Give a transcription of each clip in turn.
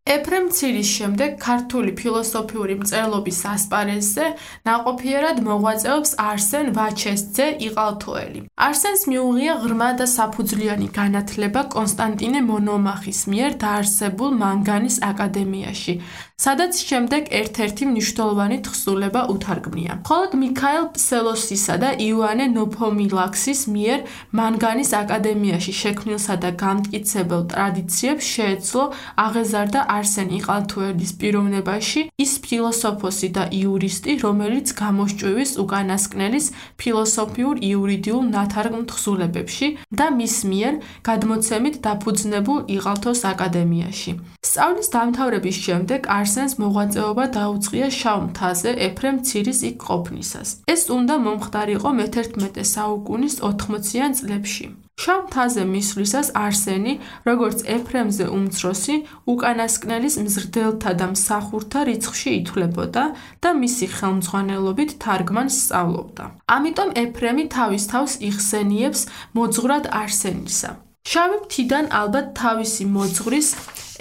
ეფრემ მცირის შემდეგ ქართული ფილოსოფიური მწერლობის ასპარეზზე ნაყოფიერად მოღვაწეობს არსენ ვაჩესძე იყალთოელი. არსენს მიუღია ღრმა და საფუძვლიანი განათლება კონსტანტინე მონომახის მიერ დაარსებულ მანგანის აკადემიაში, სადაც შემდეგ ერთ-ერთი მნიშვნელოვანი თხზულება უთარგმნია. მხოლოდ მიქაელ ფსელოსისა და იოანე ნოფომილაქსის მიერ მანგანის აკადემიაში შექმნილსა და გამტკიცებელ ტრადიციებს შეეძლო აღეზარდა არსენ იყალთოელის პიროვნებაში ის ფილოსოფოსი და იურისტი, რომელიც გამოსჭვივის უკანასკნელის ფილოსოფიურ-იურიდიულ ნათარგმნ თხზულებებში და მის მიერ გადმოცემით დაფუძნებულ იყალთოს აკადემიაში. სწავლის დამთავრების შემდეგ არსენს მოღვაწეობა დაუწყია შავ მთაზე ეფრემ მცირის იქ ყოფნისას. ეს უნდა მომხდარიყო მე-11 საუკუნის 80-იან წლებში. შავ მთაზე მისვლისას არსენი, როგორც ეფრემზე უმცროსი, უკანასკნელის მზრდელთა და მსახურთა რიცხვში ითვლებოდა და მისი ხელმძღვანელობით თარგმანს სწავლობდა. ამიტომ ეფრემი თავის თავს იხსენიებს მოძღვრად არსენისა. შავი მთიდან ალბათ თავისი მოძღვრის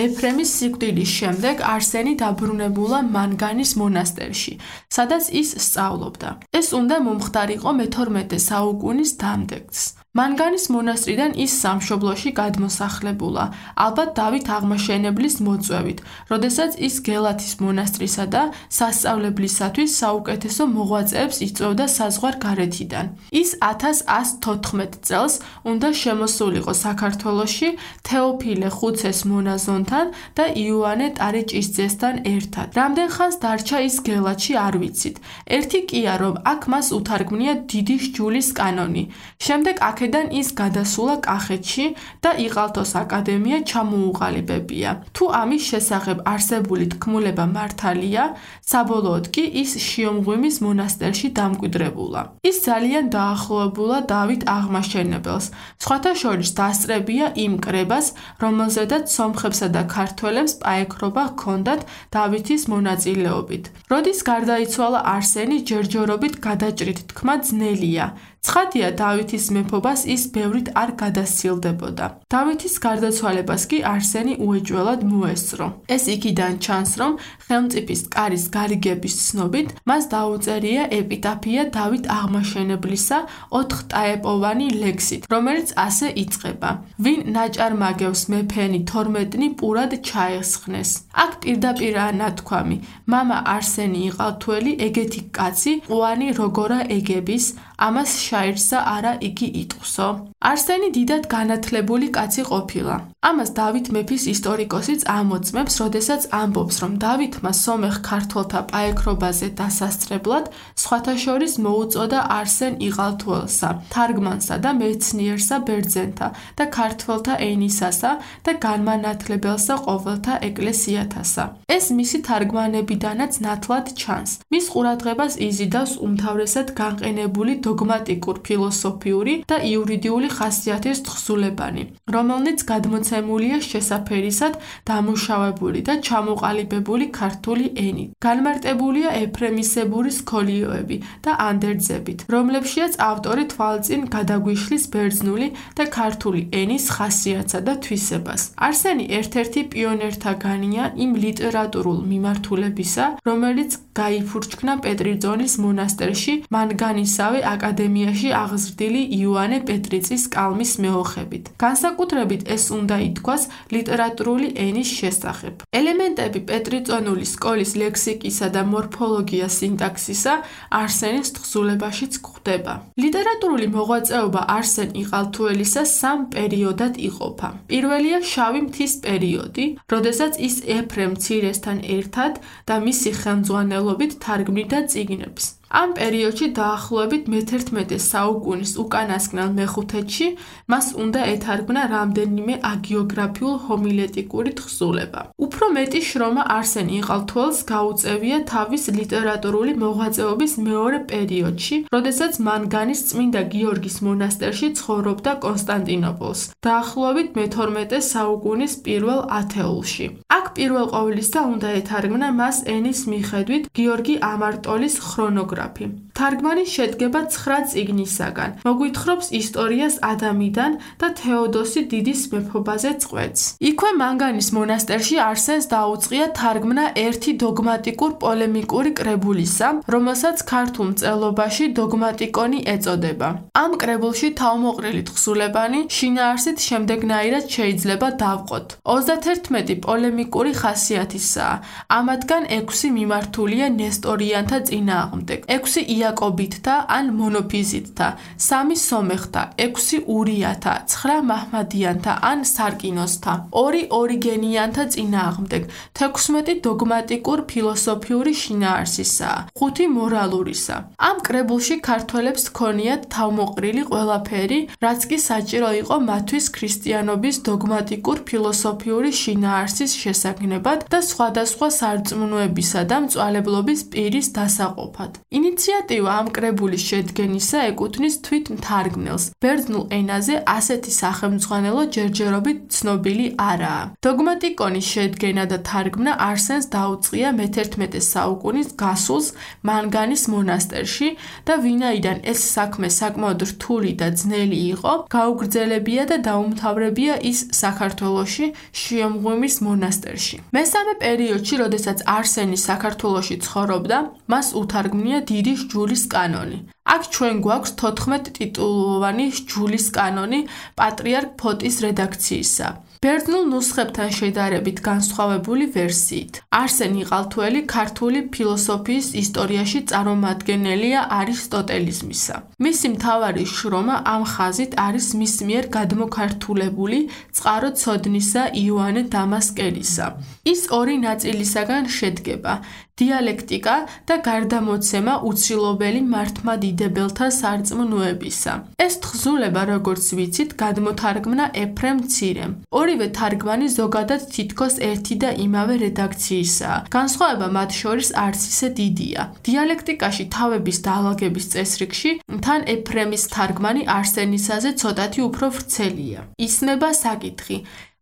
ეფრემის სიკვდილის შემდეგ არსენი დაბრუნებულა მანგანის მონასტერში, სადაც ის სწავლობდა. ეს უნდა მომხდარიყო მე-12 საუკუნის დამდეგს. მანგანის მონასტრიდან ის სამშობლოში გადმოსახლებულა, ალბათ დავით აღმაშენებლის მოწვევით, როდესაც ის გელათის მონასტრისა და სასწავლებლისათვის საუკეთესო მოღვაწეებს იწვევდა საზღვარ გარეთიდან. ის 1114 წელს უნდა შემოსულიყო საქართველოში თეოფილე ხუცეს მონაზონთან და იოანე ტარეჭისძესთან ერთად. რამდენ ხანს დარჩა ის გელათში არ ვიცით. ერთი კია, რომ აქ მას უთარგმნია დიდი სჯულის კანონი. შემდეგ აქედან ის გადასულა კახეთში და იყალთოს აკადემია ჩამოუყალიბებია. თუ ამის შესახებ არსებული თქმულება მართალია, საბოლოოდ კი ის შიომღვიმის მონასტერში დამკვიდრებულა. ის ძალიან დაახლოებულა დავით აღმაშენებელს. სხვათა შორის დასწრებია იმ კრებას, რომელზედაც სომხებსა და ქართველებს პაექრობა ჰქონდათ დავითის მონაწილეობით. როდის გარდაიცვალა არსენი, ჯერჯერობით გადაჭრით თქმა ძნელია. ცხადია, დავითის მეფობას ის ბევრით არ გადასცილდებოდა. დავითის გარდაცვალებას კი არსენი უეჭველად მოესწრო. ეს იქიდან ჩანს, რომ ხელმწიფის კარის გარიგების ცნობით მას დაუწერია ეპიტაფია დავით აღმაშენებლისა 4 ტაეპოვანი ლექსით, რომელიც ასე იწყება: ვინ ნაჭარმაგევს მეფენი 12 პურად ჩაესხნეს. აქ პირდაპირაა ნათქვამი: მამა არსენი იყალთოელი ეგეთი კაცი, ყუანი როგორა ეგების, ამას შაირსა არა იგი იტყვსო. არსენი დიდად განათლებული კაცი ყოფილა. ამას დავით მეფის ისტორიკოსიც ამოწმებს, როდესაც ამბობს, რომ დავითმა სომეხ ქართველთა პაექრობაზე დასასწრებლად სხვათა შორის მოუწოდა არსენ იყალთოელსა, თარგმანსა და მეცნიერსა ბერძენთა და ქართველთა ენისასა და განმანათლებელსა ყოველთა ეკლესიათასა. ეს მისი თარგმანებიდანაც ნათლად ჩანს. მის ყურადღებას იზიდავს უმთავრესად განყენებული დოგმატიკურ ფილოსოფიური და იურიდიული ხასიათის თხზულებანი, რომელნიც გადმოცემულია შესაფერისად დამუშავებული და ჩამოყალიბებული ქართული ენით. განმარტებულია ეფრემისებური სქოლიოები და ანდერძებით, რომლებშიაც ავტორი თვალწინ გადაგვიშლის ბერძნული და ქართული ენის ხასიათსა და თვისებას. არსენი ერთ-ერთი პიონერთაგანია იმ ლიტერატურულ მიმართულებისა, რომელიც გაიფურჩქნა პეტრიძონის მონასტერში მანგანისავე აკადემიაში აღზრდილი იოანე პეტრიწის კალმის მეოხებით. განსაკუთრებით ეს უნდა ითქვას ლიტერატურული ენის შესახებ. ელემენტები პეტრიწონული სკოლის ლექსიკისა და მორფოლოგია სინტაქსისა არსენის თხზულებაშიც გვხვდება. ლიტერატურული მოღვაწეობა არსენ იყალთოელისა 3 პერიოდად იყოფა. პირველია შავი მთის პერიოდი, როდესაც ის ეფრემ მცირესთან ერთად და მისი ხელმძღვანელობით თარგმნიდა წიგნებს. ამ პერიოდში დაახლოებით მე-11 საუკუნის უკანასკნელ მეხუთედში მას უნდა ეთარგმნა რამდენიმე აგიოგრაფიულ ჰომილეტიკური თხზულება. უფრო მეტი შრომა არსენ იყალთოელს გაუწევია თავის ლიტერატურული მოღვაწეობის მეორე პერიოდში, როდესაც მანგანის წმინდა გიორგის მონასტერში ცხოვრობდა კონსტანტინოპოლს, დაახლოებით მე-12 საუკუნის პირველ ათეულში. აქ პირველ ყოვლისა უნდა ეთარგმნა მას ენის მიხედვით გიორგი ამარტოლის ქრონოგრაფია. თარგმანი შედგება 9 წიგნისაგან, მოგვითხრობს ისტორიას ადამიდან და თეოდოსი დიდის მეფობაზე წყვეტს. იქვე მანგანის მონასტერში არსენს არსენს დაუწყია თარგმნა ერთი დოგმატიკურ პოლემიკური კრებულისა, რომელსაც ქართულ მწერლობაში დოგმატიკონი ეწოდება. ამ კრებულში თავმოყრილი თხზულებანი შინაარსით შემდეგნაირად შეიძლება დავყოთ. 31 პოლემიკური ხასიათისაა. ამათგან 6 მიმართულია ნესტორიანთა წინააღმდეგ, 6 იაკობითთა ან მონოფიზიტთა, 3 სომეხთა, 6 ურიათა, 9 მაჰმადიანთა ან სარკინოსთა, 2 ორიგენიანთა წინააღმდეგ, 16 დოგმატიკურ ფილოსოფიური შინაარსისაა, 5 მორალურისა. ამ კრებულში ქართველებს ჰქონიათ თავმოყრილი ყველაფერი, რაც კი საჭირო იყო მათთვის ქრისტიანობის დოგმატიკურ ფილოსოფიური შინაარსის შესაგნებად და სხვადასხვა სარწმუნოებისა და მწვალებლობის პირის დასაყოფად. ინიციატივა ამ კრებულის შედგენისა ეკუთვნის თვით მთარგმნელს. ბერძნულ ენაზე ასეთი სახელმძღვანელო ჯერჯერობით ცნობილი არაა. დოგმატიკონის შედგენა და თარგმნა არსენს დაუწყია მე-11 საუკუნის გასულს მანგანის მონასტერში და ვინაიდან ეს საქმე საკმაოდ რთული და ძნელი იყო, გაუგრძელებია და დაუმთავრებია ის საქართველოში შიომღვიმის მონასტერში. მესამე პერიოდში, როდესაც არსენი საქართველოში ცხოვრობდა, მას უთარგმნია დიდი სჯულის კანონი. აქ ჩვენ გვაქვს 14 ტიტულოვანი სჯულის კანონი პატრიარქ ფოტის რედაქციისა. ბერძნულ ნუსხებთან შედარებით განსხვავებული ვერსიით. არსენ იყალთოელი ქართული ფილოსოფიის ისტორიაში წარმომადგენელია არისტოტელიზმისა. მისი მთავარი შრომა ამ ხაზით არის მის მიერ გადმოქართულებული წყარო ცოდნისა იოანე დამასკელისა. ის ორი ნაწილისაგან შედგება: დიალექტიკა და გარდამოცემა უცილობელი მართლმადიდებელთა სარწმუნოებისა. ეს თხზულება, როგორც ვიცით, გადმოთარგმნა ეფრემ მცირემ. ორივე თარგმანი ზოგადად თითქოს ერთი და იმავე რედაქციისაა. განსხვავება მათ შორის არც ისე დიდია. დიალექტიკაში თავების დაალაგების წესრიგში თან ეფრემის თარგმანი არსენისაზე ცოტათი უფრო ვრცელია. ისმება საკითხი: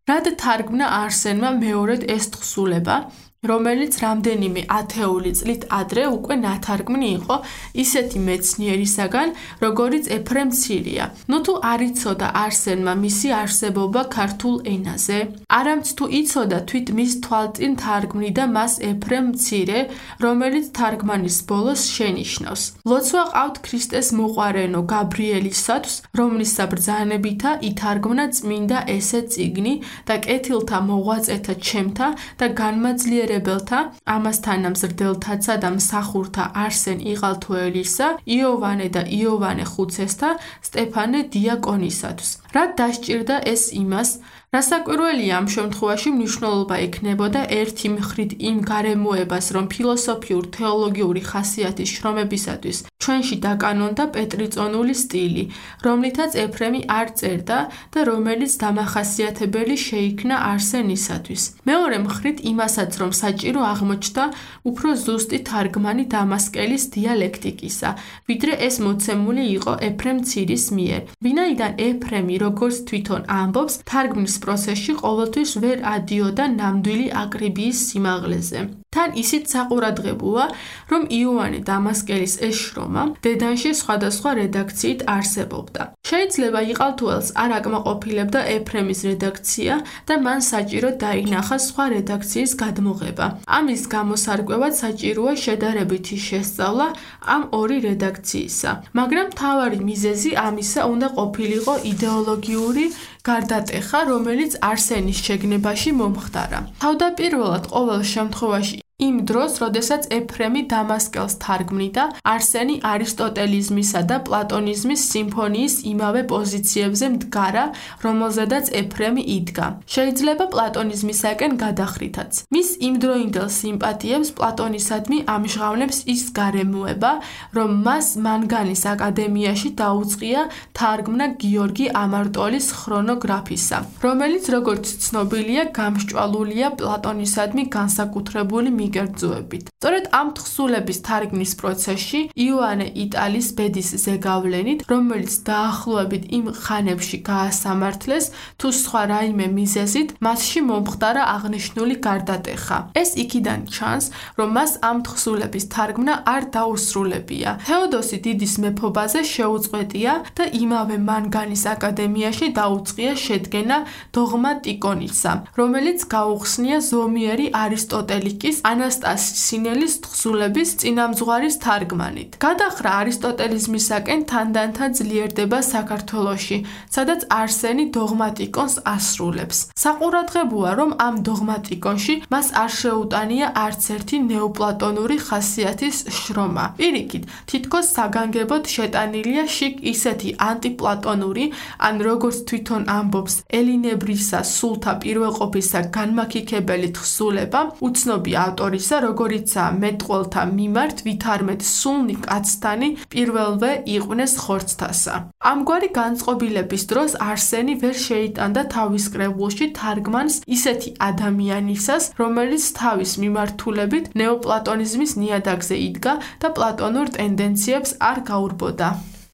რად თარგმნა არსენმა მეორედ ეს თხზულება, რომელიც რამდენიმე ათეული წლით ადრე უკვე ნათარგმნი იყო ისეთი მეცნიერისაგან, როგორიც ეფრემ მცირეა. ნუ თუ არ იცოდა არსენმა მისი არსებობა ქართულ ენაზე? არამც თუ იცოდა თვით მის თვალწინ თარგმნიდა მას ეფრემ მცირე, რომელიც თარგმანის ბოლოს შენიშნავს: ლოცვა ყავთ ქრისტეს მოყვარენო გაბრიელისათვის, რომლის საბრძანებითა ითარგმნა წმინდა ესე წიგნი და კეთილთა მოღვაწეთა ჩემთა და განმაძლიერებელთა ამასთან ამზრდელთაცა და მსახურთა არსენ იყალთოელისა, იოვანე და იოვანე ხუცესთა, სტეფანე დიაკონისათვის. რად დასჭირდა ეს იმას, რასაკვირველია ამ შემთხვევაში მნიშვნელობა ექნებოდა ერთი მხრით იმ გარემოებას, რომ ფილოსოფიურ-თეოლოგიური ხასიათის შრომებისათვის ჩვენში დაკანონდა პეტრიწონული სტილი, რომლითაც ეფრემი არ წერდა და რომელიც დამახასიათებელი შეიქმნა არსენისათვის. მეორე მხრით იმასაც, რომ საჭირო აღმოჩნდა უფრო ზუსტი თარგმანი დამასკელის დიალექტიკისა, ვიდრე ეს მოცემული იყო ეფრემ მცირის მიერ. ვინაიდან ეფრემი, როგორც თვითონ ამბობს, თარგმნის პროცესში ყოველთვის ვერ ადიოდა ნამდვილი აკრიბიის სიმაღლეზე. თან ისიც საყურადღებოა, რომ იოანე დამასკელის ეს შრომა დედანში სხვადასხვა რედაქციით არსებობდა. შეიძლება იყალთოელს არ აკმაყოფილებდა ეფრემის რედაქცია და მან საჭირო დაინახა სხვა რედაქციის გადმოღება. ამის გამოსარკვევად საჭიროა შედარებითი შესწავლა ამ ორი რედაქციისა. მაგრამ მთავარი მიზეზი ამისა უნდა ყოფილიყო იდეოლოგიური გარდატეხა, რომელიც არსენის შეგნებაში მომხდარა. თავდაპირველად ყოველ შემთხვევაში იმ დროს, როდესაც ეფრემი დამასკელს თარგმნიდა, არსენი არისტოტელიზმისა და პლატონიზმის სიმფონიის იმავე პოზიციებზე მდგარა, რომელზედაც ეფრემი იდგა. შეიძლება პლატონიზმისაკენ გადახრითაც. მის იმდროინდელ სიმპათიებს პლატონისადმი ამჟღავნებს ის გარემოება, რომ მას მანგანის აკადემიაში დაუწყია თარგმნა გიორგი ამარტოლის ქრონოგრაფისა, რომელიც, როგორც ცნობილია, გამსჭვალულია პლატონისადმი განსაკუთრებული მიგერძუებით. სწორედ ამ თხზულების თარგმნის პროცესში იოანე იტალის ბედის ზეგავლენით, რომელიც დაახლოებით იმ ხანებში გაასამართლეს, თუ სხვა რაიმე მიზეზით, მასში მომხდარა აღნიშნული გარდატეხა. ეს იქიდან ჩანს, რომ მას ამ თხზულების თარგმნა არ დაუსრულებია. თეოდოსი დიდის მეფობაზე შეუწყვეტია და იმავე მანგანის აკადემიაში დაუწყია შედგენა დოგმა ტიკონისა, რომელიც გაუხსნია ზომიერი არისტოტელიკის ანასტასი სინელის თხზულების წინამძღვარის თარგმანით. გადახრა არისტოტელიზმისაკენ თანდათან ძლიერდება საქართველოში, სადაც არსენი დოგმატიკონს ასრულებს. საყურადღებოა, რომ ამ დოგმატიკონში მას არ შეუტანია არც ერთი ნეოპლატონური ხასიათის შრომა. პირიქით, თითქოს საგანგებოდ შეტანილია შიგ ისეთი ანტიპლატონური, ან როგორც თვითონ ამბობს ელინებრისა სულთა პირველყოფისა განმაქიქებელი თხზულება, უცნობი ავტორისა, როგორიცაა მეტყველთა მიმართ ვითარმეთ სულნი კაცთანი პირველვე იყვნენ ხორცთასა. ამგვარი განწყობილების დროს არსენი ვერ შეიტანდა თავის კრებულში თარგმანს ისეთი ადამიანისას, რომელიც თავის მიმართულებით ნეოპლატონიზმის ნიადაგზე იდგა და პლატონურ ტენდენციებს არ გაურბოდა.